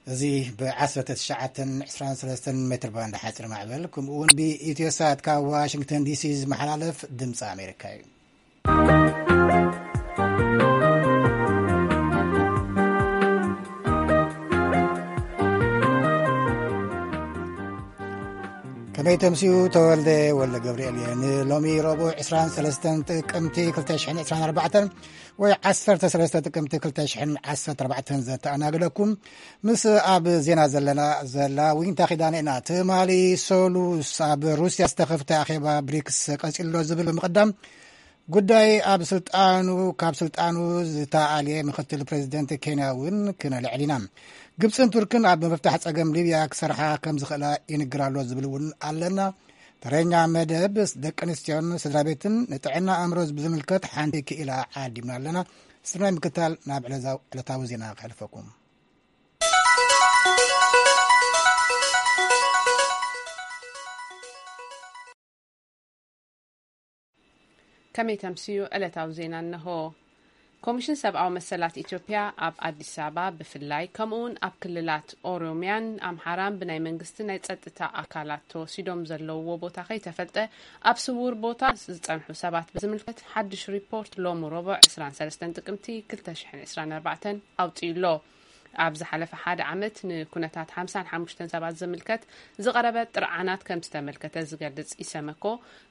እዚ ብ19 23 ሜትር ባንድ ሓፂር ማዕበል፣ ከምኡ እውን ብኢትዮሳት ካብ ዋሽንግተን ዲሲ ዝመሓላለፍ ድምፂ ኣሜሪካ እዩ። ከመይ ተምስዩ? ተወልደ ወልደ ገብርኤል እየ። ንሎሚ ረቡዕ 23 ጥቅምቲ 2024 ወይ 13 ጥቅምቲ 2014 ዘተኣናግደኩም፣ ምስ ኣብ ዜና ዘለና ዘላ ዊንታ ኪዳነ ኢና። ትማሊ ሰሉስ ኣብ ሩስያ ዝተኸፍተ ኣኼባ ብሪክስ ቀጺሉ ኣሎ ዝብል ብምቕዳም፣ ጉዳይ ኣብ ስልጣኑ፣ ካብ ስልጣኑ ዝተኣልየ ምክትል ፕሬዚደንት ኬንያ እውን ክነልዕል ኢና። ግብፅን ቱርክን ኣብ ምፍታሕ ፀገም ሊብያ ክሰርሓ ከም ዝኽእላ ይንግር ኣሎ ዝብል እውን ኣለና። ተረኛ መደብ ደቂ ኣንስትዮን ስድራ ቤትን ንጥዕና ኣእምሮ ብዝምልከት ሓንቲ ክኢላ ዓዲምና ኣለና። ስርናይ ምክታል ናብ ዕለዛው-፣ ዕለታዊ ዜና ከሕልፈኩም። ከመይ ተምስዩ? ዕለታዊ ዜና እነሆ። ኮሚሽን ሰብኣዊ መሰላት ኢትዮጵያ ኣብ ኣዲስ ኣበባ ብፍላይ፣ ከምኡውን ኣብ ክልላት ኦሮሚያን ኣምሓራን ብናይ መንግስቲ ናይ ጸጥታ ኣካላት ተወሲዶም ዘለውዎ ቦታ ከይተፈልጠ ኣብ ስውር ቦታ ዝጸንሑ ሰባት ብዝምልከት ሓድሽ ሪፖርት ሎሚ ረቡዕ 23 ጥቅምቲ 2024 ኣውጺኡ ኣሎ። ኣብ ዝሓለፈ ሓደ ዓመት ንኩነታት ሓምሳን ሓሙሽተን ሰባት ዝምልከት ዝቐረበ ጥርዓናት ከም ዝተመልከተ ዝገልጽ ኢሰመኮ፣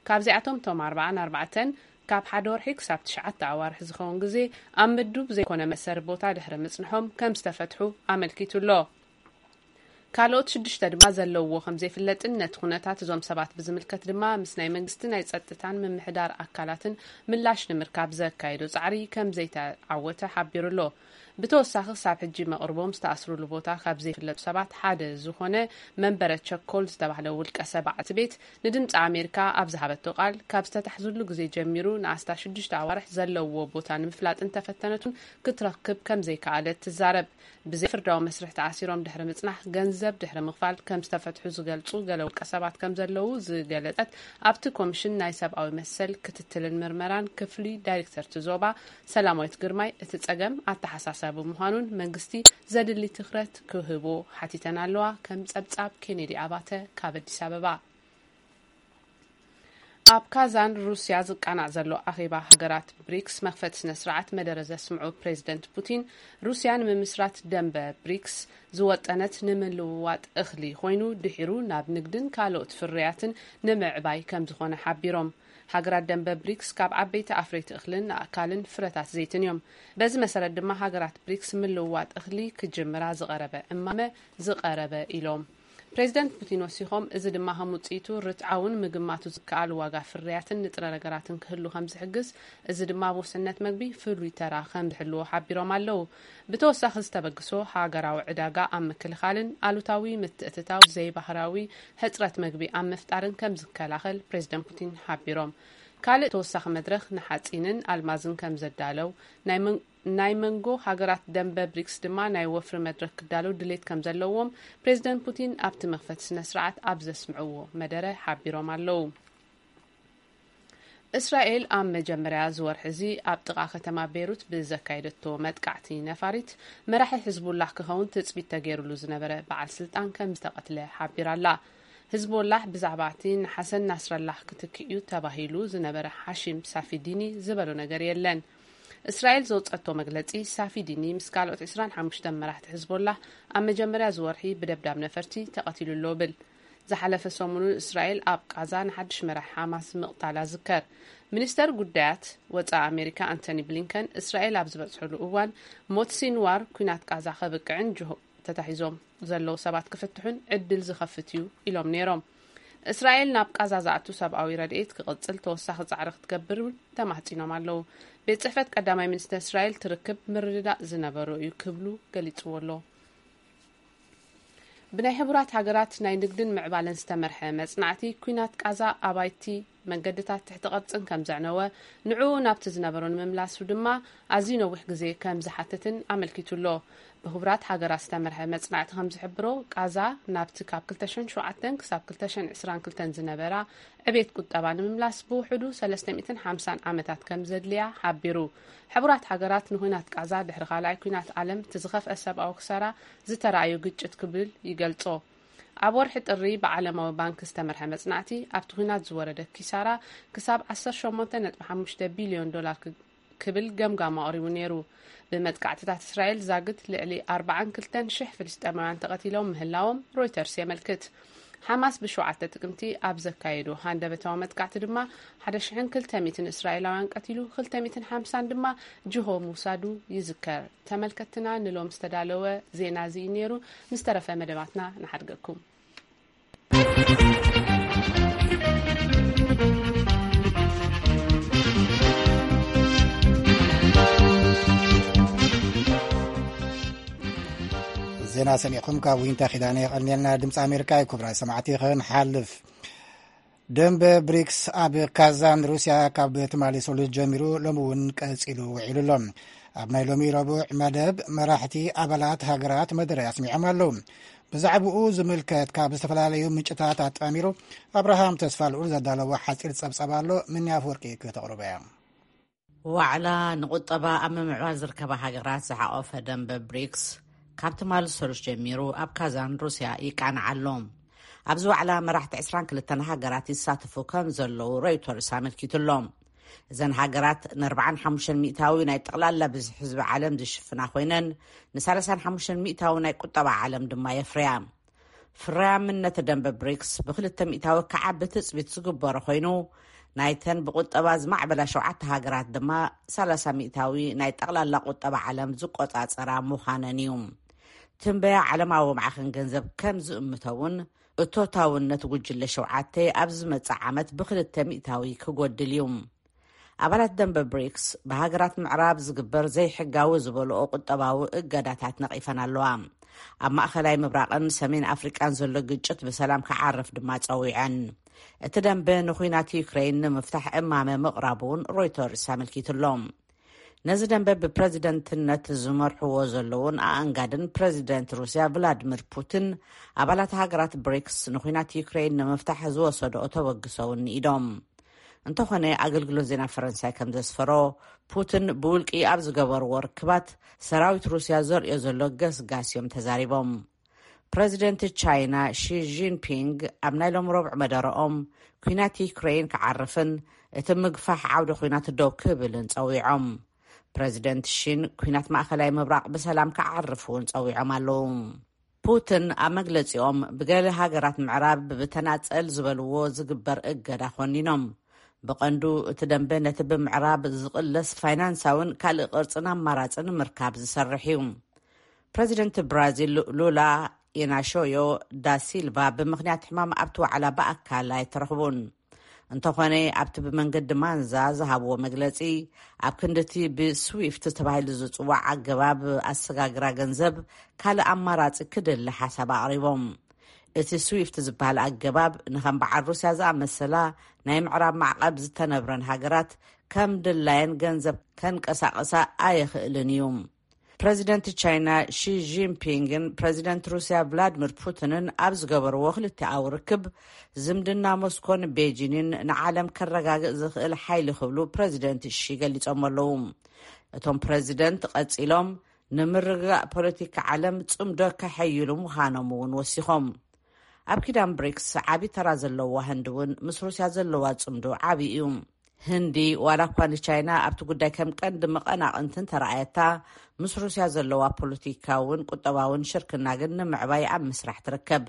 ካብዚኣቶም እቶም ኣርባዓን ኣርባዕተን ካብ ሓደ ወርሒ ክሳብ ትሽዓተ ኣዋርሕ ዝኸውን ግዜ ኣብ ምዱብ ዘይኮነ መእሰሪ ቦታ ድሕሪ ምጽንሖም ከም ዝተፈትሑ ኣመልኪቱ ኣሎ። ካልኦት ሽዱሽተ ድማ ዘለውዎ ከም ዘይፍለጥን ነቲ ኩነታት እዞም ሰባት ብዝምልከት ድማ ምስ ናይ መንግስቲ ናይ ጸጥታን ምምሕዳር ኣካላትን ምላሽ ንምርካብ ዘካየዶ ጻዕሪ ከም ዘይተዓወተ ሓቢሩ ኣሎ። ብተወሳኺ ክሳብ ሕጂ መቕርቦም ዝተኣስሩሉ ቦታ ካብ ዘይፍለጡ ሰባት ሓደ ዝኾነ መንበረ ቸኮል ዝተባህለ ውልቀ ሰብ በዓልቲ ቤት ንድምፂ ኣሜሪካ ኣብ ዝሃበቶ ቃል፣ ካብ ዝተታሕዙሉ ግዜ ጀሚሩ ንኣስታት ሽዱሽተ ኣዋርሕ ዘለውዎ ቦታ ንምፍላጥ እንተፈተነቱን ክትረክብ ከም ዘይከኣለት ትዛረብ። ብዘይ ፍርዳዊ መስርሕ ተኣሲሮም ድሕሪ ምጽናሕ ገንዘብ ድሕሪ ምኽፋል ከም ዝተፈትሑ ዝገልጹ ገለ ውልቀ ሰባት ከም ዘለዉ ዝገለጸት ኣብቲ ኮሚሽን ናይ ሰብኣዊ መሰል ክትትልን ምርመራን ክፍሊ ዳይሬክተር እቲ ዞባ ሰላማዊት ግርማይ፣ እቲ ጸገም ኣተሓሳሳቢ ምዃኑን መንግስቲ ዘድሊ ትኹረት ክህቦ ሓቲተን ኣለዋ። ከም ጸብጻብ ኬኔዲ ኣባተ ካብ ኣዲስ ኣበባ። ኣብ ካዛን ሩስያ ዝቃናዕ ዘሎ ኣኼባ ሃገራት ብሪክስ መኽፈቲ ስነ ስርዓት መደረ ዘስምዑ ፕሬዚደንት ፑቲን፣ ሩስያ ንምምስራት ደንበ ብሪክስ ዝወጠነት ንምልውዋጥ እኽሊ ኮይኑ፣ ድሒሩ ናብ ንግድን ካልኦት ፍርያትን ንምዕባይ ከም ዝኾነ ሓቢሮም። ሃገራት ደንበ ብሪክስ ካብ ዓበይቲ ኣፍረይቲ እኽልን ኣእካልን ፍረታት ዘይትን እዮም። በዚ መሰረት ድማ ሃገራት ብሪክስ ምልውዋጥ እኽሊ ክጅምራ ዝቐረበ እማመ ዝቐረበ ኢሎም። ፕሬዚደንት ፑቲን ወሲኾም፣ እዚ ድማ ከም ውፅኢቱ ርትዓውን ምግማቱ ዝከኣል ዋጋ ፍርያትን ንጥረ ነገራትን ክህሉ ከም ዝሕግዝ፣ እዚ ድማ ኣብ ውሕስነት መግቢ ፍሉይ ተራ ከም ዝሕልዎ ሓቢሮም ኣለዉ። ብተወሳኺ ዝተበግሶ ሃገራዊ ዕዳጋ ኣብ ምክልኻልን ኣሉታዊ ምትእትታው ዘይባህራዊ ሕፅረት መግቢ ኣብ ምፍጣርን ከም ዝከላኸል ፕሬዚደንት ፑቲን ሓቢሮም። ካልእ ተወሳኺ መድረኽ ንሓፂንን ኣልማዝን ከም ዘዳለው፣ ናይ መን-፣ ናይ መንጎ ሃገራት ደንበ ብሪክስ ድማ ናይ ወፍሪ መድረኽ ክዳለው ድሌት ከም ዘለዎም ፕሬዚደንት ፑቲን ኣብቲ መኽፈቲ ስነ ስርዓት ኣብ ዘስምዕዎ መደረ ሓቢሮም ኣለዉ። እስራኤል ኣብ መጀመርያ ዝወርሒ እዚ ኣብ ጥቓ ከተማ ቤይሩት ብዘካየደቶ መጥቃዕቲ ነፋሪት፣ መራሒ ሕዝቡላህ ክኸውን ትጽቢት ተገይሩሉ ዝነበረ በዓል ስልጣን ከም ዝተቐትለ ሓቢራ ኣላ። ህዝቦላህ ብዛዕባ እቲ ንሓሰን ናስረላህ ክትክእ እዩ ተባሂሉ ዝነበረ ሓሺም ሳፊዲኒ ዝበሎ ነገር የለን። እስራኤል ዘውጸቶ መግለጺ፣ ሳፊዲኒ ምስ ካልኦት ዕስራን ሓሙሽተን መራሕቲ ህዝቦላህ ኣብ መጀመርያ ዝወርሒ ብደብዳብ ነፈርቲ ተቐቲሉ ኣሎ ብል። ዝሓለፈ ሰሙኑን እስራኤል ኣብ ቃዛ ንሓድሽ መራሒ ሓማስ ምቕታላ ዝከር። ሚኒስተር ጉዳያት ወጻኢ ኣሜሪካ ኣንቶኒ ብሊንከን እስራኤል ኣብ ዝበጽሐሉ እዋን፣ ሞት ሲንዋር ኲናት ቃዛ ከብቅዕን ጅሆ ተታሒዞም ዘለዉ ሰባት ክፍትሑን ዕድል ዝኸፍት እዩ ኢሎም ነይሮም። እስራኤል ናብ ቃዛ ዝኣቱ ሰብኣዊ ረድኤት ክቕጽል ተወሳኺ ጻዕሪ ክትገብር እውን ተማሕጺኖም ኣለዉ። ቤት ጽሕፈት ቀዳማይ ሚኒስተር እስራኤል ትርክብ ምርድዳእ ዝነበሮ እዩ ክብሉ ገሊጽዎ ኣሎ። ብናይ ሕቡራት ሃገራት ናይ ንግድን ምዕባለን ዝተመርሐ መጽናዕቲ፣ ኲናት ቃዛ ኣባይቲ መንገድታት ትሕቲ ቅርጽን ከም ዘዕነወ፣ ንዕኡ ናብቲ ዝነበሮ ንምምላሱ ድማ ኣዝዩ ነዊሕ ግዜ ከም ዝሓትትን ኣመልኪቱ ኣሎ። ብሕቡራት ሃገራት ዝተመርሐ መጽናዕቲ ከም ዝሕብሮ፣ ቃዛ ናብቲ ካብ ክልተ ሽሕን ሸውዓተን ክሳብ ክልተ ሽሕን ዕስራን ክልተን ዝነበራ ዕቤት ቁጠባ ንምምላስ ብውሕዱ ሰለስተ ሚእትን ሓምሳን ዓመታት ከም ዘድልያ ሓቢሩ። ሕቡራት ሃገራት ንኹናት ቃዛ ድሕሪ ካልኣይ ኩናት ዓለም እቲ ዝኸፍአ ሰብኣዊ ክሳራ ዝተራእዩ ግጭት ክብል ይገልጾ። ኣብ ወርሒ ጥሪ ብዓለማዊ ባንክ ዝተመርሐ መጽናዕቲ፣ ኣብቲ ኲናት ዝወረደ ኪሳራ ክሳብ ዓሰርተ ሸሞንተ ነጥቢ ሓሙሽተ ቢልዮን ዶላር ክ-፣ ክብል ገምጋም ኣቕሪቡ ነይሩ። ብመጥቃዕትታት እስራኤል ዛግት ልዕሊ ኣርባዓን ክልተን ሽሕ ፍልስጤማውያን ተቐቲሎም ምህላዎም ሮይተርስ የመልክት። ሓማስ ብሸውዓተ ጥቅምቲ ኣብ ዘካየዶ ሃንደበታዊ መጥቃዕቲ ድማ ሓደ ሽሕን ክልተ ሚእትን እስራኤላውያን ቀቲሉ፣ ክልተ ሚእትን ሓምሳን ድማ ጅሆ ምውሳዱ ይዝከር። ተመልከትና፣ ንሎም ዝተዳለወ ዜና እዚ እዩ ነይሩ። ምስ ተረፈ መደባትና ንሓድገኩም። ዜና ሰሚዕኩም ካብ ዊንታ ኪዳነ የቐንየልና። ድምፂ ኣሜሪካ እዩ። ክቡራት ሰማዕቲ፣ ክንሓልፍ። ደንበ ብሪክስ ኣብ ካዛን ሩስያ ካብ ትማሊ ሰሉስ ጀሚሩ ሎሚ እውን ቀጺሉ ውዒሉ ኣሎ። ኣብ ናይ ሎሚ ረቡዕ መደብ መራሕቲ ኣባላት ሃገራት መደረ ኣስሚዖም ኣለዉ። ብዛዕባኡ ዝምልከት ካብ ዝተፈላለዩ ምንጭታት ኣጣሚሩ ኣብርሃም ተስፋ ልዑል ዘዳለዎ ሓጺር ጸብጸብ ኣሎ። ምንያ ኣፈወርቂ ክተቕርቦ እያ። ዋዕላ ንቁጠባ ኣብ ምምዕባል ዝርከባ ሃገራት ዝሓቆፈ ደንበ ብሪክስ ካብ ትማሊ ሰሉስ ጀሚሩ ኣብ ካዛን ሩስያ ይቃናዕ ኣሎ። ኣብዚ ዋዕላ መራሕቲ ዕስራን ክልተን ሃገራት ይሳተፉ ከም ዘለዉ ሮይተርስ ኣመልኪቱ ኣሎ። እዘን ሃገራት ንኣርባዓን ሓሙሽተን ሚእታዊ ናይ ጠቕላላ ብዝሒ ህዝቢ ዓለም ዝሽፍና ኮይነን፣ ንሰላሳን ሓሙሽተን ሚእታዊ ናይ ቁጠባ ዓለም ድማ የፍርያ። ፍርያምነት ደንበ ብሪክስ ብክልተ ሚእታዊ ክዓቢ ትጽቢት ዝግበሮ ኮይኑ፣ ናይተን ብቁጠባ ዝማዕበላ ሸውዓተ ሃገራት ድማ ሰላሳ ሚእታዊ ናይ ጠቕላላ ቁጠባ ዓለም ዝቆጻጸራ ምዃነን እዩ። ትንበያ ዓለማዊ ማዕኸን ገንዘብ ከም ዝእምቶ እውን፣ እቶታውነት ጉጅለ ሸውዓተ ኣብ ዝመጽእ ዓመት ብክልተ ሚእታዊ ክጎድል እዩ። ኣባላት ደንበ ብሪክስ ብሃገራት ምዕራብ ዝግበር ዘይሕጋዊ ዝበልኦ ቁጠባዊ እገዳታት ነቒፈን ኣለዋ። ኣብ ማእኸላይ ምብራቕን ሰሜን ኣፍሪቃን ዘሎ ግጭት ብሰላም ክዓርፍ ድማ ጸዊዐን። እቲ ደንበ ንኹናት ዩክሬን ንምፍታሕ እማመ ምቕራቡ እውን ሮይተርስ ኣመልኪቱ ኣሎ። ነዚ ደንበ ብፕረዚደንትነት ዝመርሕዎ ዘለዉን ኣኣንጋድን ፕረዚደንት ሩስያ ቭላድሚር ፑቲን፣ ኣባላት ሃገራት ብሪክስ ንኹናት ዩክሬን ንምፍታሕ ዝወሰድኦ ተበግሶ እውን ንኢዶም። እንተኾነ፣ ኣገልግሎት ዜና ፈረንሳይ ከም ዘስፈሮ፣ ፑቲን ብውልቂ ኣብ ዝገበርዎ ርክባት፣ ሰራዊት ሩስያ ዘርእዮ ዘሎ ገስጋስ እዮም ተዛሪቦም። ፕረዚደንት ቻይና ሺ ጂንፒንግ ኣብ ናይ ሎም ረቡዕ መደረኦም፣ ኲናት ዩክሬን ክዓርፍን እቲ ምግፋሕ ዓውደ ኲናት ደው ክብልን ጸዊዖም። ፕረዚደንት ሺን ኲናት ማእከላይ ምብራቕ ብሰላም ክዓርፍ እውን ጸዊዖም ኣለዉ። ፑቲን ኣብ መግለጺኦም፣ ብገለ ሃገራት ምዕራብ ብተናጸል ዝበልዎ ዝግበር እገዳ ኮኒኖም። ብቐንዱ እቲ ደንበ ነቲ ብምዕራብ ዝቕለስ ፋይናንሳውን ካልእ ቅርጽን ኣማራጺ ንምርካብ ዝሰርሕ እዩ። ፕረዚደንት ብራዚል ሉላ ኢናሾዮ ዳ ሲልቫ ብምኽንያት ሕማም ኣብቲ ዋዕላ ብኣካል ኣይተረኽቡን። እንተኾነ፣ ኣብቲ ብመንገዲ ማንዛ ዝሃብዎ መግለጺ፣ ኣብ ክንድቲ ብስዊፍት ተባሂሉ ዝጽዋዕ ኣገባብ ኣሰጋግራ ገንዘብ ካልእ ኣማራጺ ክድሊ ሓሳብ ኣቕሪቦም። እቲ ስዊፍት ዝበሃል ኣገባብ ንኸም በዓል ሩስያ ዝኣመሰላ ናይ ምዕራብ ማዕቐብ ዝተነብረን ሃገራት ከም ድላየን ገንዘብ ከንቀሳቕሳ ኣየኽእልን እዩ። ፕረዚደንት ቻይና ሺ ጂንፒንግን ፕረዚደንት ሩስያ ቭላድሚር ፑቲንን ኣብ ዝገበርዎ ክልቲኣዊ ርክብ፣ ዝምድና ሞስኮን ቤጂንን ንዓለም ከረጋግእ ዝኽእል ሓይሊ ክብሉ ፕረዚደንት ሺ ገሊጾም ኣለዉ። እቶም ፕረዚደንት ቀጺሎም፣ ንምርግጋእ ፖለቲካ ዓለም ጽምዶ ከሐይሉ ምዃኖም እውን ወሲኾም። ኣብ ኪዳን ብሪክስ ዓቢ ተራ ዘለዋ ህንዲ እውን ምስ ሩስያ ዘለዋ ጽምዶ ዓቢ እዩ። ህንዲ፣ ዋላ እኳ ንቻይና ኣብቲ ጉዳይ ከም ቀንዲ መቐናቕንቲ እንተረኣየታ፣ ምስ ሩስያ ዘለዋ ፖለቲካውን ቁጠባውን ሽርክና ግን ንምዕባይ ኣብ ምስራሕ ትርከብ።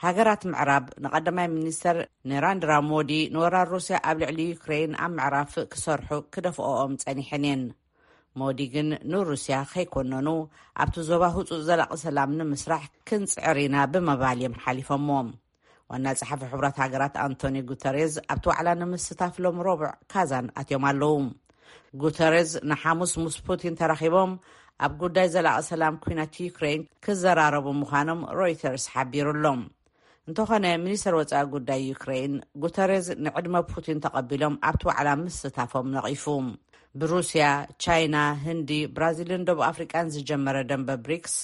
ሃገራት ምዕራብ ንቀዳማይ ሚኒስተር ኔራንድራ ሞዲ ንወራር ሩስያ ኣብ ልዕሊ ዩክሬን ኣብ ምዕራፍ ክሰርሑ ክደፍኦኦም ጸኒሐን እየን። ሞዲ ግን ንሩስያ ከይኮነኑ፣ ኣብቲ ዞባ ህጹጽ ዘላቒ ሰላም ንምስራሕ ክንጽዕር ኢና ብምባል እዮም ሓሊፎሞ። ዋና ጸሓፊ ሕቡራት ሃገራት ኣንቶኒ ጉተሬዝ ኣብቲ ዋዕላ ንምስታፍ ሎም ረቡዕ ካዛን ኣትዮም ኣለዉ። ጉተሬዝ ንሓሙስ ምስ ፑቲን ተራኺቦም ኣብ ጉዳይ ዘላቒ ሰላም ኲናት ዩክሬን ክዘራረቡ ምዃኖም ሮይተርስ ሓቢሩ ኣሎ። እንተኾነ፣ ሚኒስተር ወጻኢ ጉዳይ ዩክሬን ጉተሬዝ ንዕድመ ፑቲን ተቐቢሎም ኣብቲ ዋዕላ ምስታፎም ነቒፉ። ብሩስያ፣ ቻይና፣ ህንዲ፣ ብራዚልን ደቡብ ኣፍሪቃን ዝጀመረ ደንበ ብሪክስ፣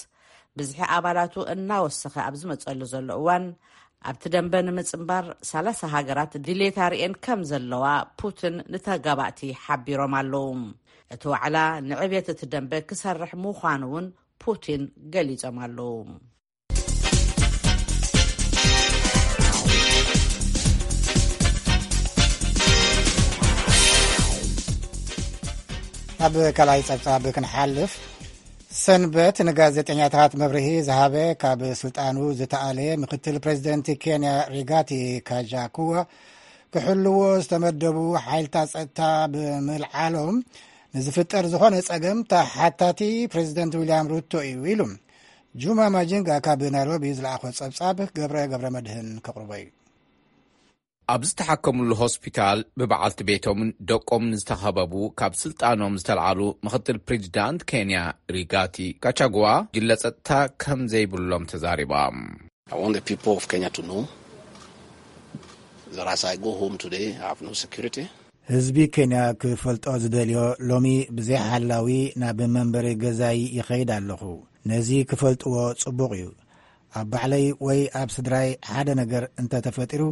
ብዝሒ ኣባላቱ እናወሰኸ ኣብ ዝመጸሉ ዘሎ እዋን፣ ኣብቲ ደንበ ንምጽንባር ሰላሳ ሃገራት ድሌት ኣርእየን ከም ዘለዋ ፑቲን ንተጋባእቲ ሓቢሮም ኣለዉ። እቲ ዋዕላ ንዕብየት እቲ ደንበ ክሰርሕ ምዃኑ እውን ፑቲን ገሊጾም ኣለዉ። ናብ ካልኣይ ጸብጻብ ክንሓልፍ፣ ሰንበት ንጋዜጠኛታት መብርሂ ዝሃበ ካብ ስልጣኑ ዝተኣለ ምክትል ፕሬዚደንት ኬንያ ሪጋቲ ካጃኩዋ፣ ክሕልዎ ዝተመደቡ ሓይልታት ጸጥታ ብምልዓሎም ንዝፍጠር ዝኾነ ጸገም ተሓታቲ ፕሬዚደንት ዊልያም ሩቶ እዩ ኢሉ። ጁማ ማጂንጋ ካብ ናይሮቢ ዝለኣኾ ጸብጻብ ገብረ ገብረ መድህን ከቕርቦ እዩ። ኣብ ዝተሓከምሉ ሆስፒታል ብበዓልቲ ቤቶምን ደቆምን ዝተኸበቡ ካብ ስልጣኖም ዝተልዓሉ ምክትል ፕሬዚዳንት ኬንያ ሪጋቲ ካቻጉዋ፣ ግለ ጸጥታ ከም ዘይብሎም ተዛሪባ። I want the people of Kenya to know that as I go home today, I have no security. ህዝቢ ኬንያ ክፈልጦ ዝደልዮ፣ ሎሚ ብዘይ ሓላዊ ናብ መንበሪ ገዛይ ይኸይድ ኣለኹ። ነዚ ክፈልጥዎ ጽቡቕ እዩ። ኣብ ባዕለይ ወይ ኣብ ስድራይ ሓደ ነገር እንተተፈጢሩ፣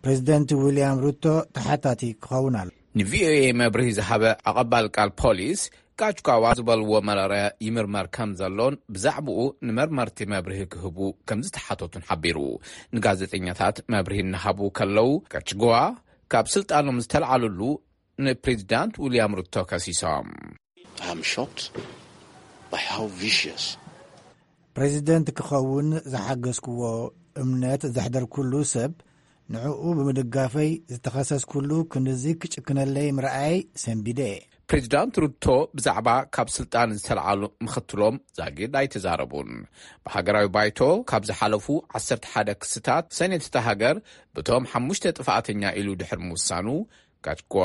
ፕሬዚደንት ዊልያም ሩቶ ተሓታቲ ክኸውን ኣሎ። ንቪኦኤ መብርሂ ዝሃበ ኣቐባል ቃል ፖሊስ፣ ጋችኳዋ ዝበልዎ መረረ ይምርመር ከም ዘሎን ብዛዕባኡ ንመርመርቲ መብርሂ ክህቡ ከም ዝተሓተቱን ሓቢሩ። ንጋዜጠኛታት መብርሂ እናሃቡ ከለዉ፣ ጋችጓዋ ካብ ስልጣኖም ዝተልዓሉሉ ንፕሬዚዳንት ዊልያም ሩቶ ከሲሶም። I am shocked by how vicious ፕሬዚደንት ክኸውን ዝሓገዝክዎ እምነት ዘሕደርኩሉ ሰብ፣ ንዕኡ ብምድጋፈይ ዝተኸሰስኩሉ ክንድዚ ክጭክነለይ ምርኣይ ሰንቢደ። ፕሬዚዳንት ሩቶ ብዛዕባ ካብ ስልጣን ዝተልዓሉ ምኽትሎም ዛጊድ ኣይተዛረቡን። ብሃገራዊ ባይቶ ካብ ዝሓለፉ ዓሰርተ ሓደ ክስታት፣ ሰኔት እታ ሃገር ብቶም ሓሙሽተ ጥፍኣተኛ ኢሉ ድሕሪ ምውሳኑ፣ ጋትጓ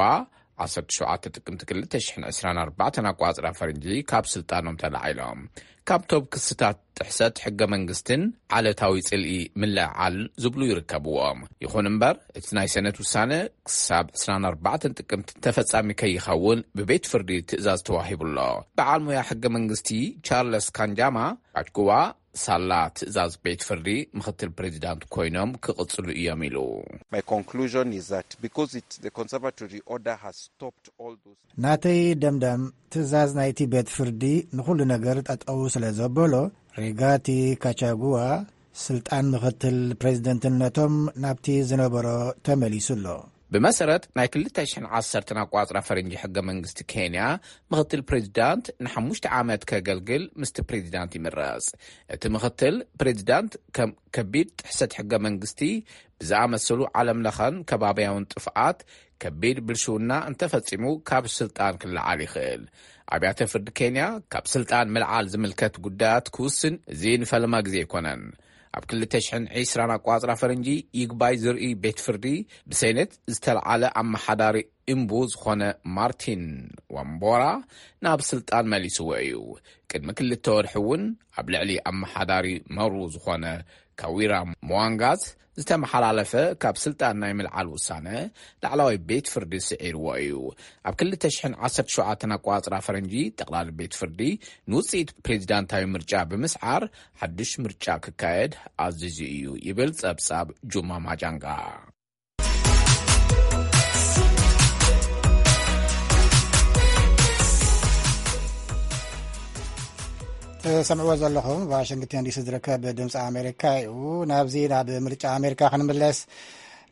ዓሰርተ ሸውዓተ ጥቅምቲ ክልተ ሽሕን ዕስራን ኣርባዕተን ኣቋጽራ ፈረንጂ ካብ ስልጣኖም ተላዒሎም። ካብቶም ክስታት ጥሕሰት ሕገ መንግስትን ዓለታዊ ጽልኢ ምልዕዓል ዝብሉ ይርከብዎም። ይኹን እምበር፣ እቲ ናይ ሰነት ውሳነ ክሳብ ዕስራን ኣርባዕተን ጥቅምቲ ተፈጻሚ ከይኸውን ብቤት ፍርዲ ትእዛዝ ተዋሂቡ ኣሎ። በዓል ሞያ ሕገ መንግስቲ ቻርለስ ካንጃማ፣ ጋትጓ ሳላ ትእዛዝ ቤት ፍርዲ ምኽትል ፕሬዚዳንት ኮይኖም ክቕጽሉ እዮም ኢሉ። My conclusion is that because it, the conservatory order has stopped all those. ናተይ ደምዳም ትእዛዝ ናይቲ ቤት ፍርዲ ንኹሉ ነገር ጠጠው ስለ ዘበሎ፣ ሪጋቲ ካቻጉዋ ስልጣን ምኽትል ፕሬዚደንትነቶም ናብቲ ዝነበሮ ተመሊሱ ኣሎ። ብመሰረት ናይ ክልተ ሽሕን ዓሰርተን ኣቋጽራ ፈረንጂ ሕገ መንግስቲ ኬንያ፣ ምኽትል ፕሬዚዳንት ንሓሙሽተ ዓመት ከገልግል ምስቲ ፕሬዚዳንት ይምረጽ። እቲ ምኽትል ፕሬዚዳንት ከም ከቢድ ጥሕሰት ሕገ መንግስቲ ብዝኣመሰሉ ዓለም ለኸን ከባቢያውን ጥፍኣት ከቢድ ብልሽውና እንተፈጺሙ ካብ ስልጣን ክለዓል ይኽእል። ኣብያተ ፍርዲ ኬንያ ካብ ስልጣን ምልዓል ዝምልከት ጉዳያት ክውስን እዚ ንፈለማ ግዜ ኣይኮነን። ኣብ ክልተ ሽሕን ዕስራን ኣቋጽራ ፈረንጂ ይግባይ ዝርኢ ቤት ፍርዲ ብሴኔት ዝተልዓለ ኣመሓዳሪ እምቡ ዝኾነ ማርቲን ዋምቦራ ናብ ስልጣን መሊስዎ እዩ። ቅድሚ ክልተ ወርሒ እውን ኣብ ልዕሊ ኣመሓዳሪ መሩ ዝኾነ ካዊራ ሞዋንጋዝ ዝተመሓላለፈ ካብ ስልጣን ናይ ምልዓል ውሳነ ላዕላዋይ ቤት ፍርዲ ስዒርዎ እዩ። ኣብ ክልተ ሽሕን ዓሰርተ ሸውዓተን ኣቋጽራ ፈረንጂ ጠቕላሊ ቤት ፍርዲ ንውጽኢት ፕሬዚዳንታዊ ምርጫ ብምስዓር ሓድሽ ምርጫ ክካየድ ኣዚዙ እዩ ይብል ጸብጻብ ጁማ ማጃንጋ። ትሰምዕዎ ዘለኹም ዋሽንግተን ዲሲ ዝርከብ ድምፂ ኣሜሪካ እዩ። ናብዚ ናብ ምርጫ ኣሜሪካ ክንምለስ፣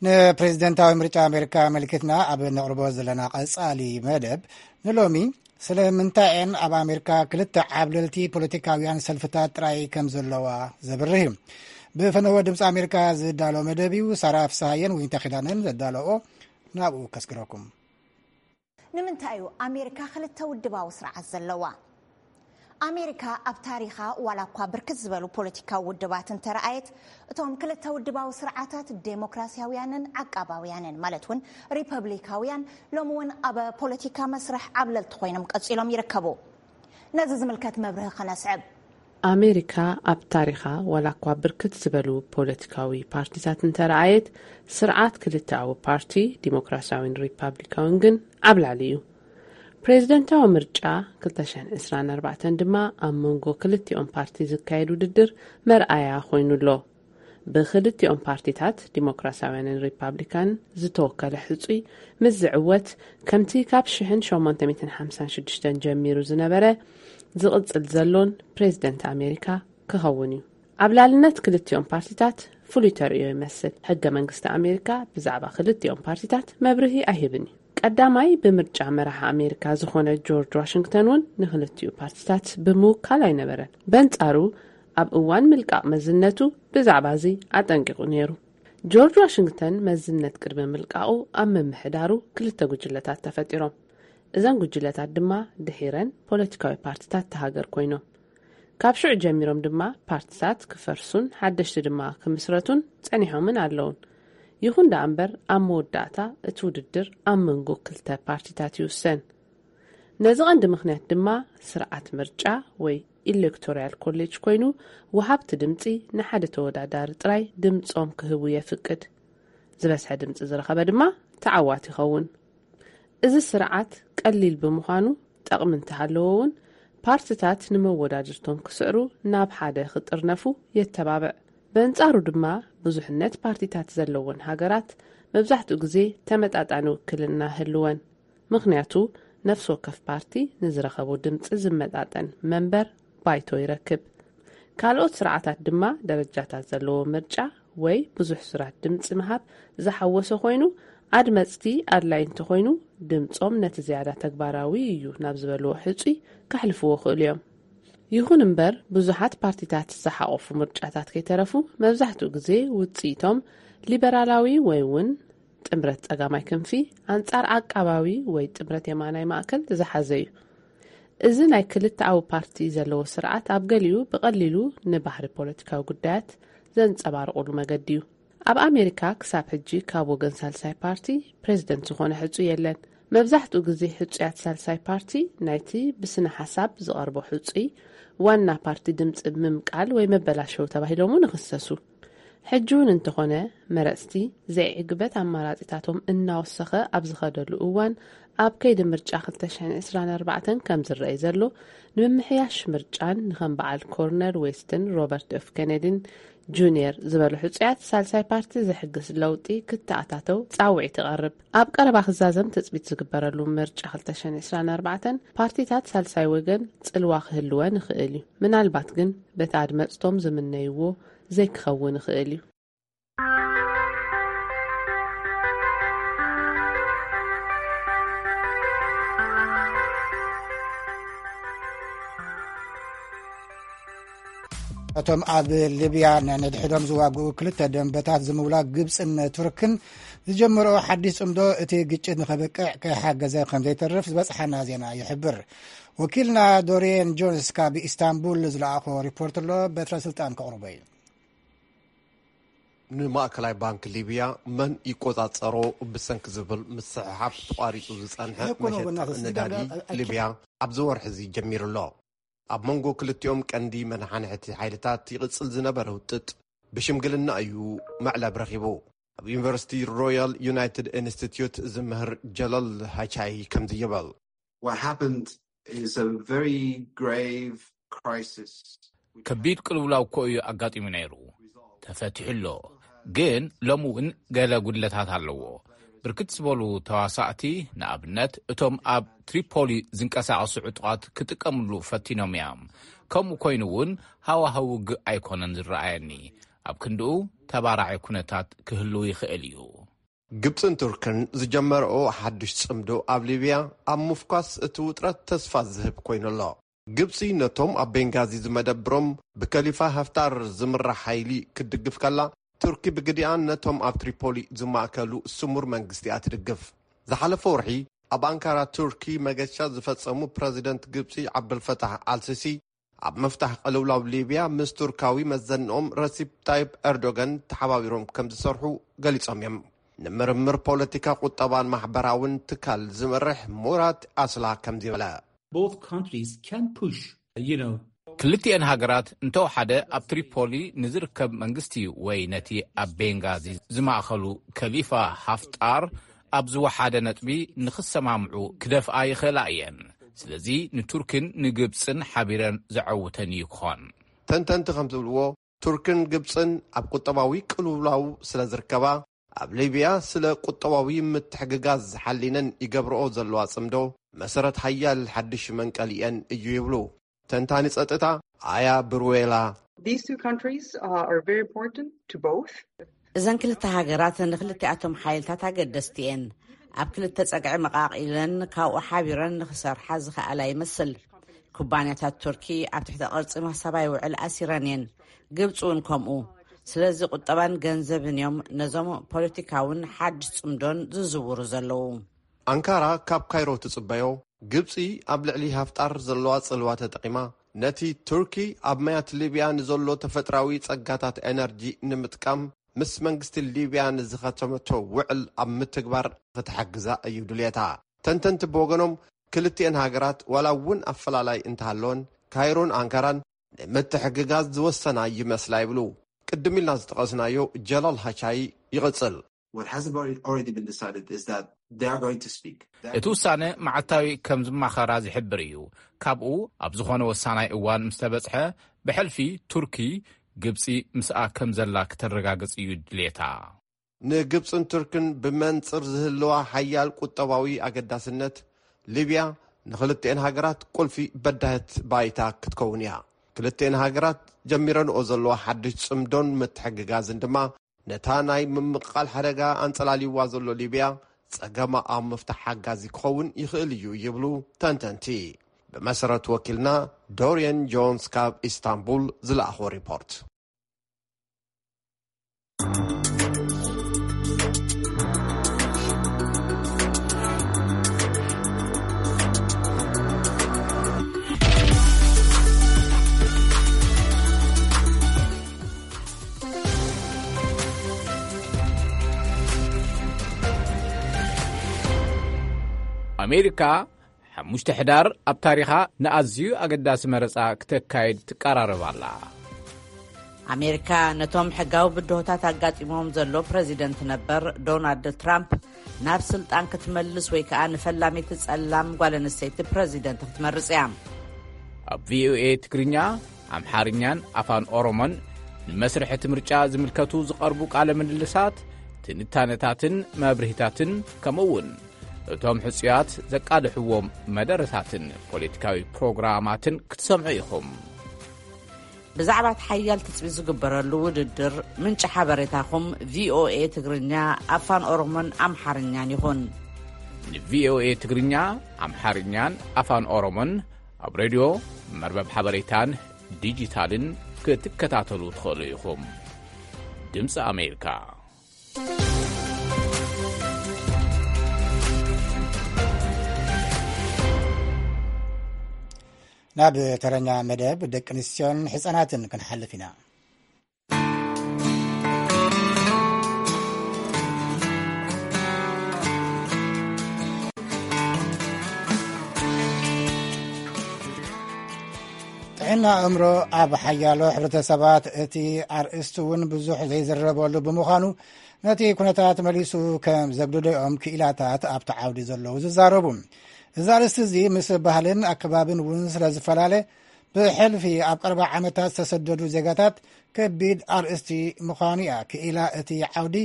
ንፕሬዚደንታዊ ምርጫ ኣሜሪካ ኣመልኪትና ኣብ ነቕርቦ ዘለና ቀጻሊ መደብ፣ ንሎሚ ስለምንታይ እየን ኣብ ኣሜሪካ ክልተ ዓብለልቲ ፖለቲካውያን ሰልፍታት ጥራይ ከም ዘለዋ ዘብርህ እዩ። ብፈነወ ድምፂ ኣሜሪካ ዝዳሎ መደብ እዩ። ሳራ ፍስሃየን ዊንታ ኪዳነን ዘዳለኦ ናብኡ ከስግረኩም። ንምንታይ እዩ ኣሜሪካ ክልተ ውድባዊ ስርዓት ዘለዋ? ኣሜሪካ ኣብ ታሪኻ ዋላ እኳ ብርክት ዝበሉ ፖለቲካዊ ውድባት እንተረኣየት፣ እቶም ክልተ ውድባዊ ስርዓታት ዴሞክራሲያውያንን ዓቃባውያንን ማለት እውን ሪፐብሊካውያን ሎሚ እውን ኣብ ፖለቲካ መስርሕ ዓብለልቲ ኮይኖም ቀጺሎም ይርከቡ። ነዚ ዝምልከት መብርሂ ከነስዕብ። ኣሜሪካ ኣብ ታሪኻ ዋላ እኳ ብርክት ዝበሉ ፖለቲካዊ ፓርቲታት እንተረኣየት፣ ስርዓት ክልተኣዊ ፓርቲ ዲሞክራሲያዊን ሪፓብሊካዊን ግን ዓብላሊ እዩ። ፕሬዝደንታዊ ምርጫ ክልተ ሽሕን ዕስራን ኣርባዕተን ድማ ኣብ መንጎ ክልቲኦም ፓርቲ ዝካየድ ውድድር መርኣያ ኮይኑ ኣሎ። ብክልቲኦም ፓርቲታት ዲሞክራሲያውያንን ሪፓብሊካን ዝተወከለ ሕጹይ ምስ ዝዕወት፣ ከምቲ ካብ ሽሕን ሸሞንተ ሚእትን ሓምሳን ሽዱሽተን ጀሚሩ ዝነበረ ዝቕጽል ዘሎን ፕሬዝደንት ኣሜሪካ ክኸውን እዩ። ኣብ ላልነት ክልቲኦም ፓርቲታት ፍሉይ ተርእዮ ይመስል። ሕገ መንግስቲ ኣሜሪካ ብዛዕባ ክልቲኦም ፓርቲታት መብርሂ ኣይህብን እዩ። ቀዳማይ ብምርጫ መራሒ ኣሜሪካ ዝኾነ ጆርጅ ዋሽንግተን እውን ንክልቲኡ ፓርቲታት ብምውካል ኣይነበረን። በንጻሩ ኣብ እዋን ምልቃቕ መዝነቱ ብዛዕባ እዚ ኣጠንቂቑ ነይሩ። ጆርጅ ዋሽንግተን መዝነት ቅድሚ ምልቃቑ ኣብ ምምሕዳሩ ክልተ ጉጅለታት ተፈጢሮም። እዘን ጉጅለታት ድማ ድሒረን ፖለቲካዊ ፓርቲታት ተሃገር ኮይኖም። ካብ ሽዑ ጀሚሮም ድማ ፓርቲታት ክፈርሱን ሓደሽቲ ድማ ክምስረቱን ጸኒሖምን ኣለውን። ይኹን ደኣ እምበር ኣብ መወዳእታ እቲ ውድድር ኣብ መንጎ ክልተ ፓርቲታት ይውሰን። ነዚ ቀንዲ ምኽንያት ድማ ስርዓት ምርጫ ወይ ኢሌክቶራል ኮሌጅ ኮይኑ፣ ወሃብቲ ድምጺ ንሓደ ተወዳዳሪ ጥራይ ድምጾም ክህቡ የፍቅድ። ዝበዝሐ ድምጺ ዝረኸበ ድማ ተዓዋቲ ይኸውን። እዚ ስርዓት ቀሊል ብምዃኑ፣ ጠቕሚ እንተሃለዎ እውን ፓርቲታት ንመወዳድርቶም ክስዕሩ ናብ ሓደ ክጥርነፉ የተባብዕ። በንጻሩ ድማ ብዙሕነት ፓርቲታት ዘለወን ሃገራት መብዛሕትኡ ግዜ ተመጣጣኒ ውክልና ህልወን። ምኽንያቱ ነፍሲ ወከፍ ፓርቲ ንዝረኸቦ ድምጺ ዝመጣጠን መንበር ባይቶ ይረክብ። ካልኦት ስርዓታት ድማ ደረጃታት ዘለዎ ምርጫ ወይ ብዙሕ ሱራት ድምጺ ምሃብ ዝሓወሰ ኮይኑ፣ ኣድመጽቲ ኣድላይ እንተኾይኑ ድምጾም ነቲ ዝያዳ ተግባራዊ እዩ ናብ ዝበልዎ ሕጹይ ከሕልፍዎ ክእሉ እዮም። ይኹን እምበር ብዙሓት ፓርቲታት ዝሓቆፉ ምርጫታት ከይተረፉ መብዛሕትኡ ግዜ ውጽኢቶም ሊበራላዊ ወይ እውን ጥምረት ጸጋማይ ክንፊ ኣንጻር ዓቃባዊ ወይ ጥምረት የማናይ ማእከል ዝሓዘ እዩ። እዚ ናይ ክልተኣዊ ፓርቲ ዘለዎ ስርዓት ኣብ ገሊኡ ብቐሊሉ ንባህሪ ፖለቲካዊ ጉዳያት ዘንጸባርቑሉ መገዲ እዩ። ኣብ ኣሜሪካ ክሳብ ሕጂ ካብ ወገን ሳልሳይ ፓርቲ ፕሬዝደንት ዝኾነ ሕጹይ የለን። መብዛሕትኡ ግዜ ሕጹያት ሳልሳይ ፓርቲ ናይቲ ብስነ ሓሳብ ዝቐርቦ ሕጹይ ዋና ፓርቲ ድምጺ ብምምቃል ወይ መበላሸዊ ተባሂሎም እውን ይኽሰሱ። ሕጂ እውን እንተኾነ መረጽቲ ዘይዕግበት ኣማራጺታቶም እናወሰኸ ኣብ ዝኸደሉ እዋን ኣብ ከይዲ ምርጫ ክልተ ሽሕን ዕስራን ኣርባዕተን ከም ዝረኣይ ዘሎ ንምምሕያሽ ምርጫን ንኸም በዓል ኮርነል ዌስትን ሮበርት ኤፍ ኬነዲን ጁኒየር ዝበሉ ሕጹያት ሳልሳይ ፓርቲ ዘሕግስ ለውጢ ክተኣታተው ጻውዒት ይቐርብ። ኣብ ቀረባ ክዛዘም ትጽቢት ዝግበረሉ ምርጫ ክልተ ሽሕን ዕስራን ኣርባዕተን ፓርቲታት ሳልሳይ ወገን ጽልዋ ክህልወን ይኽእል እዩ። ምናልባት ግን በቲ ኣድመጽቶም ዝምነይዎ ዘይክኸውን ይኽእል እዩ። እቶም ኣብ ሊብያ ነንድሕዶም ዝዋግኡ ክልተ ደንበታት ዝምውላ ግብፅን ቱርክን ዝጀመረኦ ሓድሽ ፅምዶ እቲ ግጭት ንኸብቅዕ ከይሓገዘ ከም ዘይተርፍ ዝበፅሓና ዜና ይሕብር። ወኪልና ዶሪየን ጆንስ ካብ ኢስታንቡል ዝለኣኾ ሪፖርት ኣሎ። በትረ ስልጣን ከቕርቦ እዩ። ንማእከላይ ባንክ ሊብያ መን ይቆጻጸሮ ብሰንኪ ዝብል ምስሕሓብ ተቋሪጹ ዝጸንሐ መሸጣ ነዳዲ ሊብያ ኣብዚ ወርሒ እዚ ጀሚሩ ኣሎ። ኣብ መንጎ ክልቲኦም ቀንዲ መናሓንሕቲ ሓይልታት ይቕጽል ዝነበረ ውጥጥ ብሽምግልና እዩ መዕለብ ረኺቡ። ኣብ ዩኒቨርሲቲ ሮያል ዩናይትድ ኢንስቲትዩት ዝምህር ጀለል ሃቻይ ከምዚ ይብል። ከቢድ ቅልውላው እኮ እዩ ኣጋጢሙ ነይሩ። ተፈቲሑ ኣሎ፣ ግን ሎሚ እውን ገለ ጉድለታት ኣለዎ። ብርክት ዝበሉ ተዋሳእቲ፣ ንኣብነት እቶም ኣብ ትሪፖሊ ዝንቀሳቐሱ ዕጡቓት ክጥቀምሉ ፈቲኖም እዮም። ከምኡ ኮይኑ እውን ሃዋህው ውግእ ኣይኮነን ዝረኣየኒ። ኣብ ክንድኡ ተባራዒ ኩነታት ክህሉ ይኽእል እዩ። ግብጽን ቱርክን ዝጀመረኦ ሓድሽ ጽምዶ ኣብ ሊብያ ኣብ ምፍኳስ እቲ ውጥረት ተስፋ ዝህብ ኮይኑ ኣሎ። ግብጺ ነቶም ኣብ ቤንጋዚ ዝመደብሮም ብከሊፋ ሃፍታር ዝምራሕ ሓይሊ ክትድግፍ ከላ፣ ቱርኪ ብግዲኣን ነቶም ኣብ ትሪፖሊ ዝማእከሉ ስሙር መንግስቲ እያ ትድግፍ። ዝሓለፈ ወርሒ ኣብ ኣንካራ ቱርኪ መገሻ ዝፈጸሙ ፕረዚደንት ግብጺ ዓብደልፈታሕ ኣልሲሲ፣ ኣብ ምፍታሕ ቅልውላው ሊብያ ምስ ቱርካዊ መዘንኦም ረሲፕ ታይፕ ኤርዶጋን ተሓባቢሮም ከም ዝሰርሑ ገሊጾም እዮም። ንምርምር ፖለቲካ፣ ቁጠባን ማሕበራውን ትካል ዝመርሕ ሙራት ኣስላ ከምዚ በለ። Both countries can push, you know, ክልቲኤን ሃገራት እንተወሓደ ኣብ ትሪፖሊ ንዝርከብ መንግስቲ ወይ ነቲ ኣብ ቤንጋዚ ዝማእኸሉ ከሊፋ ሃፍጣር ኣብ ዝወሓደ ነጥቢ ንኽሰማምዑ ክደፍኣ ይኽእላ እየን። ስለዚ ንቱርክን ንግብጽን ሓቢረን ዘዐውተን እዩ ክኾን። ተንተንቲ ከም ዝብልዎ፣ ቱርክን ግብጽን ኣብ ቁጠባዊ ቅልውላው ስለ ዝርከባ፣ ኣብ ሊብያ ስለ ቁጠባዊ ምትሕግጋዝ ዝሓሊነን ይገብርኦ ዘለዋ ጽምዶ መሰረት ሓያል ሓድሽ መንቀሊኤን እዩ ይብሉ። ተንታኒ ጸጥታ ኣያ ብሩዌላ። These two countries, uh, are very important to both. እዘን ክልተ ሃገራት ንክልቲኣቶም ሓይልታት ኣገደስቲ እየን። ኣብ ክልተ ጸግዒ መቓቒለን ካብኡ ሓቢረን ንኽሰርሓ ዝኸኣላ ይመስል። ኩባንያታት ቱርኪ ኣብ ትሕቲ ቅርጺ ማሳባይ ውዕል ኣሲረን እየን። ግብጺ እውን ከምኡ። ስለዚ ቁጠባን ገንዘብን እዮም ነዞም ፖለቲካውን ሓድሽ ጽምዶን ዝዝውሩ ዘለዉ። ኣንካራ ካብ ካይሮ ትጽበዮ፣ ግብጺ ኣብ ልዕሊ ሃፍጣር ዘለዋ ጽልዋ ተጠቒማ፣ ነቲ ቱርኪ ኣብ ማያት ሊብያ ንዘሎ ተፈጥራዊ ጸጋታት ኤነርጂ ንምጥቃም ምስ መንግስቲ ሊብያ ንዝኸተመቶ ውዕል ኣብ ምትግባር ክትሕግዛ እዩ ድልየታ። ተንተንቲ ብወገኖም፣ ክልቲኤን ሃገራት ዋላ እውን ኣፈላላይ እንተሃለወን፣ ካይሮን ኣንካራን ንምትሕግጋዝ ዝወሰና ይመስላ ይብሉ። ቅድም ኢልና ዝጠቐስናዮ ጀላል ሃቻይ ይቕጽል። What has already already been decided is that they are going to speak. እቲ ውሳነ መዓልታዊ ከም ዝማኸራ ዝሕብር እዩ። ካብኡ ኣብ ዝኾነ ወሳናይ እዋን ምስ ተበጽሐ፣ ብሕልፊ ቱርኪ ግብጺ ምስኣ ከም ዘላ ክተረጋግጽ እዩ ድሌታ። ንግብጽን ቱርክን ብመንጽር ዝህልዋ ሓያል ቁጠባዊ ኣገዳስነት፣ ሊብያ ንኽልቲኤን ሃገራት ቁልፊ በዳህት ባይታ ክትከውን እያ። ክልቲኤን ሃገራት ጀሚረንኦ ዘለዋ ሓድሽ ጽምዶን ምትሕግጋዝን ድማ ነታ ናይ ምምቕቓል ሓደጋ ኣንጸላልይዋ ዘሎ ሊብያ ጸገማ ኣብ ምፍታሕ ሓጋዚ ክኸውን ይኽእል እዩ ይብሉ ተንተንቲ። ብመሰረት ወኪልና ዶርየን ጆንስ ካብ ኢስታንቡል ዝለኣኾ ሪፖርት። ኣሜሪካ ሓሙሽተ ሕዳር ኣብ ታሪኻ ንኣዝዩ ኣገዳሲ መረጻ ክተካይድ ትቀራረብ ኣላ። ኣሜሪካ ነቶም ሕጋዊ ብድሆታት ኣጋጢሞም ዘሎ ፕረዚደንት ነበር ዶናልድ ትራምፕ ናብ ስልጣን ክትመልስ ወይ ከኣ ንፈላሚት ጸላም ጓል ኣንስተይቲ ፕረዚደንት ክትመርጽ እያ። ኣብ ቪኦኤ ትግርኛ፣ ኣምሓርኛን ኣፋን ኦሮሞን ንመስርሕ እቲ ምርጫ ዝምልከቱ ዝቐርቡ ቃለ ምልልሳት፣ ትንታነታትን መብርሂታትን፣ ከምኡ እውን እቶም ሕጹያት ዘቃልሕዎም መደረታትን ፖለቲካዊ ፕሮግራማትን ክትሰምዑ ኢኹም። ብዛዕባ እቲ ሓያል ትጽቢት ዝግበረሉ ውድድር፣ ምንጪ ሓበሬታኹም ቪኦኤ ትግርኛ፣ ኣፋን ኦሮሞን ኣምሓርኛን ይኹን። ንቪኦኤ ትግርኛ፣ ኣምሓርኛን ኣፋን ኦሮሞን ኣብ ሬድዮ፣ መርበብ ሓበሬታን ዲጂታልን ክትከታተሉ ትኽእሉ ኢኹም። ድምፂ ኣሜሪካ። ናብ ተረኛ መደብ ደቂ ኣንስትዮን ሕፃናትን ክንሓልፍ ኢና። ጥዕና ኣእምሮ ኣብ ሓያሎ ሕብረተሰባት እቲ ኣርእስቲ እውን ብዙሕ ዘይዝረበሉ ብምዃኑ፣ ነቲ ኩነታት መሊሱ ከም ዘግድዶ እዮም ክኢላታት ኣብቲ ዓውዲ ዘለዉ ዝዛረቡ። እዚ ኣርእስቲ እዚ ምስ ባህልን ኣከባብን እውን ስለ ዝፈላለ፣ ብሕልፊ ኣብ ቀረባ ዓመታት ዝተሰደዱ ዜጋታት ከቢድ ኣርእስቲ ምዃኑ እያ ክኢላ እቲ ዓውዲ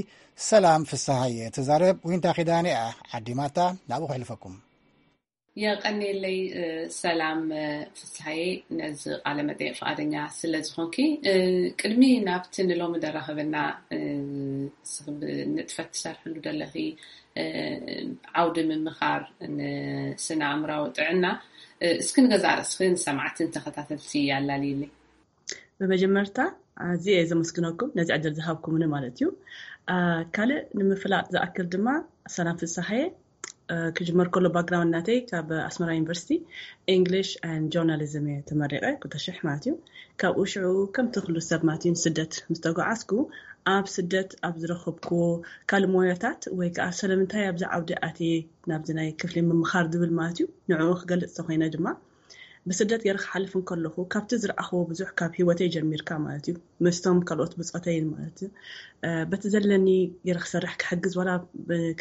ሰላም ፍስሃየ ትዛረብ። ዊንታ ኪዳነ እያ ዓዲማታ፣ ናብኡ ከሕልፈኩም። የቐንየለይ፣ እ፣ ሰላም፣ እ፣ ፍስሃየ፣ ነዚ ቃለ መጠይቕ ፍቓደኛ ስለ ዝኾንኪ። እ፣ ቅድሚ ናብቲ ንሎሚ ደራኸበና፣ እ፣ ንስኺ ብንጥፈት ትሰርሕሉ ደለኺ፣ እ፣ ዓውዲ ምምኻር ንስነ ኣእምራዊ ጥዕና፣ እ፣ እስኪ ንገዛእ ርእስኺ ንሰማዕትን ተኸታተልቲ ኣላልይለይ። ብመጀመርታ ኣዝየ እየ ዘመስግነኩም ነዚ ዕድል ዝሃብኩምኒ ማለት እዩ። አ፣ ካልእ ንምፍላጥ ዝኣክል ድማ፣ ሰላም ፍስሃየ፣ አ፣ ክጅመር ከሎ ባክግራውንድ ናተይ ካብ ኣስመራ ዩኒቨርሲቲ ኢንግሊሽ ኤንድ ጆርናሊዝም እየ ተመሪቐ፣ ክልተ ሽሕ ማለት እዩ። ካብኡ ሽዑ ከምቲ ኩሉ ሰብ ማለት እዩ ንስደት ምስ ተጓዓዝኩ፣ ኣብ ስደት ኣብ ዝረኸብክዎ ካልእ ሞያታት ወይ ከዓ ስለምንታይ ኣብዚ ዓውዲ ኣትየ ናብዚ ናይ ክፍሊ ምምኻር ዝብል ማለት እዩ፣ ንዕኡ ክገልፅ ተኾይነ ድማ፣ ብስደት ገይረ ክሓልፍ እንከለኹ ካብቲ ዝረኣኽዎ ብዙሕ ካብ ህይወተይ ጀሚርካ ማለት እዩ፣ ምስቶም ካልኦት ብፆተይን ማለት እዩ። በቲ ዘለኒ ገይረ ክሰርሕ ክሕግዝ ዋላ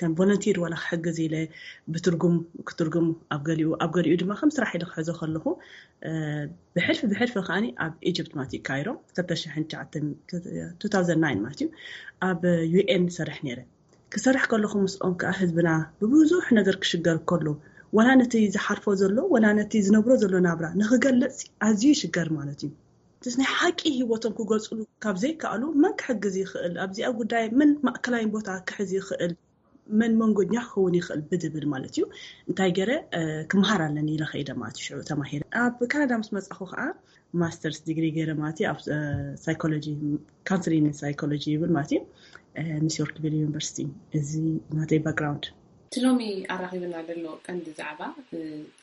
ከም ቮለንቲር ዋላ ክሕግዝ ኢለ ብትርጉም ክትርጉም ኣብ ገሊኡ ኣብ ገሊኡ ድማ ከም ስራሕ ኢለ ክሕዞ ከለኹ ብሕልፊ ብሕልፊ ከዓኒ ኣብ ኢጅፕት ማለት እዩ ካይሮ ክልተ ሽሕን ትሽዓተን ማለት እዩ ኣብ ዩኤን ሰርሕ ነይረ። ክሰርሕ ከለኹ ምስኦም ከዓ ህዝብና ብብዙሕ ነገር ክሽገር ከሎ ዋላ ነቲ ዝሓልፎ ዘሎ ዋላ ነቲ ዝነብሮ ዘሎ ናብራ ንክገልፅ ኣዝዩ ይሽገር ማለት እዩ። ምስ ናይ ሓቂ ህይወቶም ክገልፅሉ ካብ ዘይከኣሉ መን ክሕግዝ ይኽእል ኣብዚኣ ጉዳይ መን ማእከላይ ቦታ ክሕዝ ይኽእል መን መንጎኛ ክኸውን ይኽእል ብዝብል ማለት እዩ። እንታይ ገይረ ክመሃር ኣለኒ ኢለ ከይደ ማለት እዩ። ሽዑ ተማሂረ ኣብ ካናዳ ምስ መፃኹ ከዓ ማስተርስ ዲግሪ ገይረ ማለት እዩ ኣብ ሳይኮሎጂ ካውንስሊንግ ሳይኮሎጂ ይብል ማለት እዩ። ሚስ ዮርክቪል ዩኒቨርሲቲ። እዚ ናተይ ባክግራውንድ። እቲ ሎሚ ኣራኺብና ዘሎ ቀንዲ ዛዕባ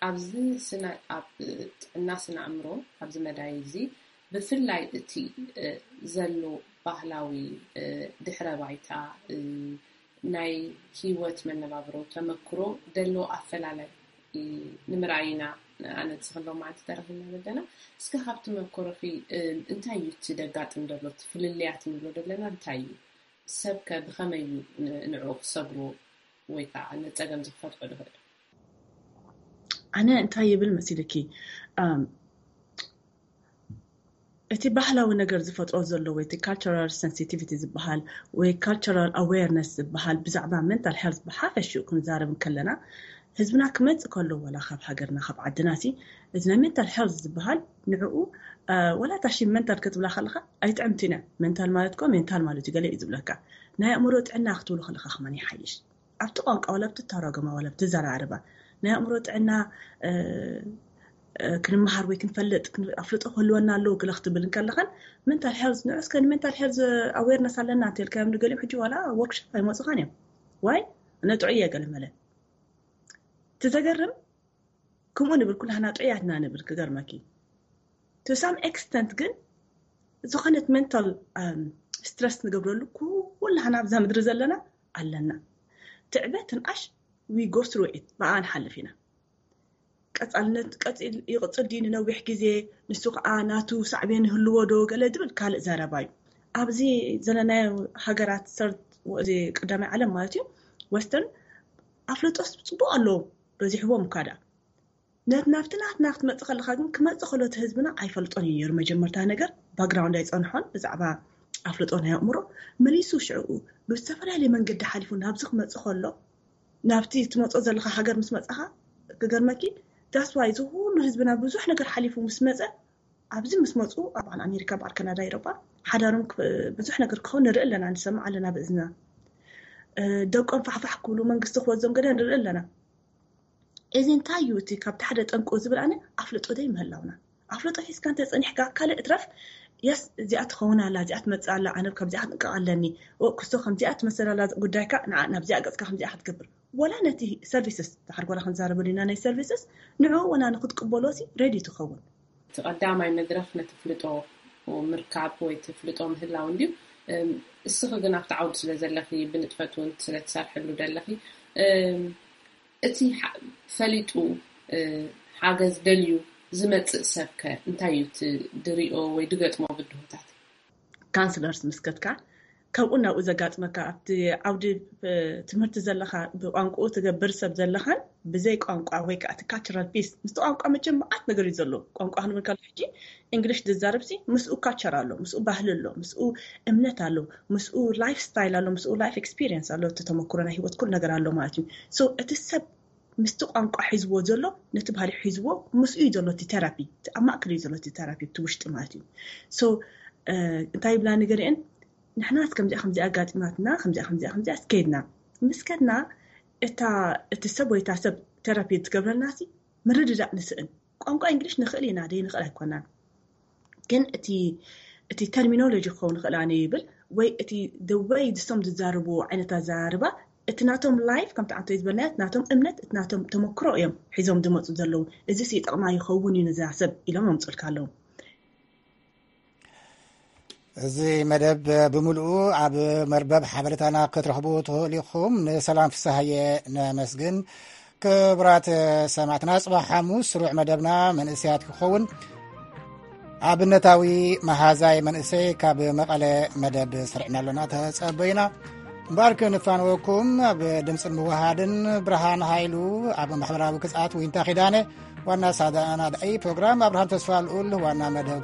ኣብዚ ስነ ኣብ ጥዕና ስነ ኣእምሮ ኣብዚ መዳይ እዚ ብፍላይ እቲ ዘሎ ባህላዊ ድሕረ ባይታ ናይ ህይወት መነባብሮ ተመክሮ ደሎ ኣፈላላይ ንምርኣይ ኢና። ኣነ ንስኺ ሎም መዓልቲ ተረኺብና ዘለና። እስከ ካብ ተመክሮኺ እንታይ እዩ እቲ ደጋጥም ደሎ እቲ ፍልልያት ንብሎ ዘለና እንታይ እዩ? ሰብ ከ ብኸመይ እዩ ንዕኡ ክሰግሮ ወይ ከዓ ነፀገም ዝፈትሖ ዝኽእል? ኣነ እንታይ ይብል መሲልኪ እቲ ባህላዊ ነገር ዝፈጥሮ ዘሎ ወይ እቲ ካልቸራል ሰንሲቲቪቲ ዝበሃል ወይ ካልቸራል ኣዌርነስ ዝበሃል ብዛዕባ ሜንታል ሄልት ብሓፈሽኡ ክንዛረብ እንከለና ህዝብና ክመፅእ ከሎ ዋላ ካብ ሃገርና ካብ ዓድና ሲ እዚ ናይ ሜንታል ሄልት ዝበሃል ንዕኡ ዋላ ታሺ ሜንታል ክትብላ ከለካ ኣይጥዕምቲና። ሜንታል ማለት ኮ ሜንታል ማለት እዩ ገለ እዩ ዝብለካ። ናይ ኣእምሮ ጥዕና ክትብሉ ከለካ ከማን ይሓይሽ ኣብቲ ቋንቋ ዋላ ብትተረጎማ ዋላ ብትዘራርባ ናይ ኣእምሮ ጥዕና ክንመሃር ወይ ክንፈልጥ ኣፍልጦ ክህልወና ኣለዎ ግለ ክትብል እንከለኻን ሜንታል ሄልዝ ንዑ እስከ ንሜንታል ሄልዝ ኣዌርነስ ኣለና እንተልካዮም ንገሊኦም ሕጂ ዋላ ወርክሾፕ ኣይመፁኻን እዮም። ዋይ ነጥዑ እየ ገለ መለ እቲ ዘገርም ከምኡ ንብል ኩላህና ጥዑያትና ንብል ክገርመኪ to some extent ግን ዝኾነት ሜንታል ስትረስ ንገብረሉ ኩላህና ኣብዛ ምድሪ ዘለና ኣለና። ትዕበ ትንኣሽ we go through it ብኣ ንሓልፍ ኢና። ቀፃልነት ይቕፅል ድዩ ንነዊሕ ግዜ ንሱ ከዓ ናቱ ሳዕቤን ይህልዎ ዶ ገለ ዝብል ካልእ ዘረባ እዩ። ኣብዚ ዘለናዮ ሃገራት ሰርድ ቀዳማይ ዓለም ማለት እዩ ወስተርን ኣፍልጦስ ፅቡቅ ኣለዎ በዚሕዎም እኳ ደኣ ነቲ ናብቲ ናትና ክትመፅእ ከለካ ግን ክመፅእ ከሎ እቲ ህዝብና ኣይፈልጦን እዩ ነይሩ መጀመርታ ነገር ባክግራውንድ ኣይፀንሖን ብዛዕባ ኣፍልጦ ናይ ኣእምሮ መሊሱ ሽዕኡ ብዝተፈላለየ መንገዲ ሓሊፉ ናብዚ ክመፅእ ከሎ ናብቲ ትመፅኦ ዘለካ ሃገር ምስ መፃካ ክገርመኪ that's why እዚ ኩሉ ህዝብና ብዙሕ ነገር ሓሊፉ ምስ መፀ ኣብዚ ምስ መፁ ኣብ በዓል ኣሜሪካ በዓል ካናዳ ኤሮጳ ሓዳሮም ብዙሕ ነገር ክኸውን ንርኢ ኣለና ንሰምዕ ኣለና ብእዝና ደቆም ፋሕፋሕ ክብሉ መንግስቲ ክወዞም ገለ ንርኢ ኣለና እዚ እንታይ እዩ እቲ ካብቲ ሓደ ጠንቁ ዝብል ኣነ ኣፍልጦ ደይ ምህላውና ኣፍልጦ ሒዝካ እንተ ጸኒሕካ ካልእ እትረፍ የስ እዚኣ ትኸውን ኣላ እዚኣ ትመጽእ ኣላ ኣነ ካብዚኣ ክንጥንቀቕ ኣለኒ ክስቶ ከምዚኣ ትመሰል ኣላ ጉዳይካ ንዓ ናብዚኣ ገጽካ ከምዚኣ ክትገብር ወላ ነቲ ሰርቪስስ ድሓር ጓላ ክንዛረበሉ ኢና ናይ ሰርቪስስ ንዕኡ ወላ ንክትቅበሎ ሲ ሬዲ ትኸውን እቲ ቀዳማይ መድረኽ ነቲ ፍልጦ ምርካብ ወይ እቲ ፍልጦ ምህላው እንድዩ እስኺ ግን ኣብቲ ዓውዲ ስለ ዘለኺ ብንጥፈት እውን ስለ ትሰርሕሉ ዘለኺ እቲ ፈሊጡ ሓገዝ ደልዩ ዝመፅእ ሰብ ከ እንታይ እዩ እቲ ድሪኦ ወይ ድገጥሞ ብድሆታት? ካንስለርስ ምስ ከድካ ካብኡ ናብኡ ዘጋጥመካ ኣብቲ ዓውዲ ትምህርቲ ዘለካ ብቋንቋኡ ትገብር ሰብ ዘለካን ብዘይ ቋንቋ ወይ ከዓ እቲ ካልቸራል ፒስ ምስቲ ቋንቋ መቸም መዓት ነገር እዩ ዘሎ ቋንቋ ክንብል ከሎ ሕጂ እንግሊሽ ዝዛረብ ሲ ምስኡ ካልቸር ኣሎ ምስኡ ባህሊ ኣሎ ምስኡ እምነት ኣሎ ምስኡ ላይፍ ስታይል ኣሎ ምስኡ ላይፍ ኤክስፒሪየንስ ኣሎ እቲ ተመክሮ ናይ ህይወት ኩሉ ነገር ኣሎ ማለት እዩ so እቲ ሰብ ምስቲ ቋንቋ ሒዝዎ ዘሎ ነቲ ባህሊ ሒዝዎ ምስኡ እዩ ዘሎ እቲ ቴራፒ ኣብ ማእከል እዩ ዘሎ እቲ ቴራፒ እቲ ውሽጢ ማለት እዩ so እንታይ ይብላ ንገሪአን ንሕናስ ከምዚኣ ከምዚኣ ኣጋጢማትና ከምዚኣ ከምዚኣ ከምዚኣ ስከይድና ምስ ከድና እታ እቲ ሰብ ወይ እታ ሰብ ቴራፒ ትገብረልና ሲ ምርድዳእ ንስእን ቋንቋ እንግሊሽ ንኽእል ኢና ደይ ንኽእል ኣይኮናን ግን እቲ እቲ ተርሚኖሎጂ ክኸውን ይኽእል ኣነ ይብል ወይ እቲ the way ዝሶም ዝዛረቡ ዓይነት ኣዘራርባ እቲ ናቶም ላይፍ ከምቲ ዓንቶ ዝበልናዮ ናቶም እምነት እቲ ናቶም ተመክሮ እዮም ሒዞም ዝመፁ ዘለዉ እዚ ሲ ጠቕማ ይኸውን እዩ ነዛ ሰብ ኢሎም ኣምፅልካ ኣለዉ እዚ መደብ ብምልኡ ኣብ መርበብ ሓበሬታና ክትረኽቡ ትኽእሉ ኢኹም። ንሰላም ፍስሃየ ነመስግን። ክቡራት ሰማዕትና፣ ጽባሕ ሓሙስ ስሩዕ መደብና መንእሰያት ክኸውን ኣብነታዊ መሃዛይ መንእሰይ ካብ መቐለ መደብ ሰርዕና ኣሎና። ተጸበዩና። እምበኣር ክንፋንወኩም ኣብ ድምፅን ምውሃድን ብርሃን ሃይሉ፣ ኣብ ማሕበራዊ ክፅኣት ዊንታ ኪዳነ፣ ዋና ኣሰናዳኢ ፕሮግራም ኣብርሃም ተስፋ ልኡል፣ ዋና መደብ